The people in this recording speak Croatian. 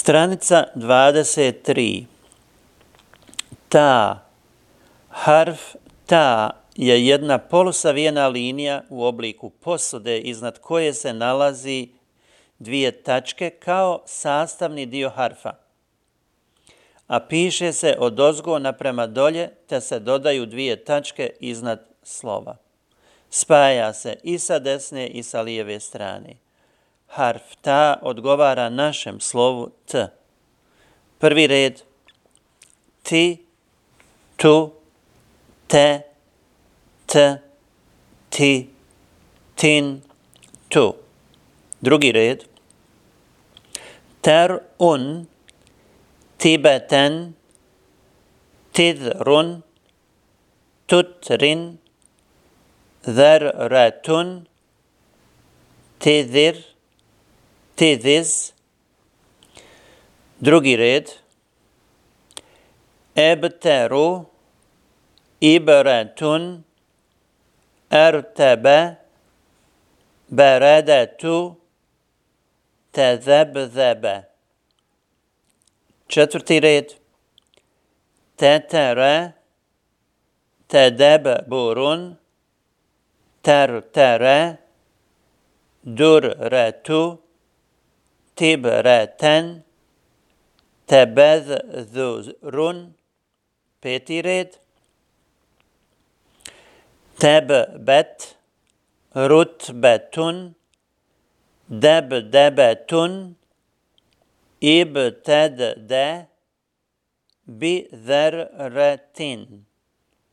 Stranica 23. Ta. Harf ta je jedna polusavijena linija u obliku posude iznad koje se nalazi dvije tačke kao sastavni dio harfa, a piše se odozgo naprema dolje te se dodaju dvije tačke iznad slova. Spaja se i sa desne i sa lijeve strane. Harf ta odgovara našem slovu t. Prvi red ti, tu, te, t, ti, tin, tu. Drugi red ter'un, tibeten, tidrun, tutrin, dherratun, tidir, tidiz. Drugi red ebteru, ibretun, ertebe, beredetu, tezebzebe. Četvrti red tetere, tedebburun, tertere, durretu, tibreten, tebezzurun. Peti red tebbet, rutbetun, debdebetun, ibtedde, bizerretin.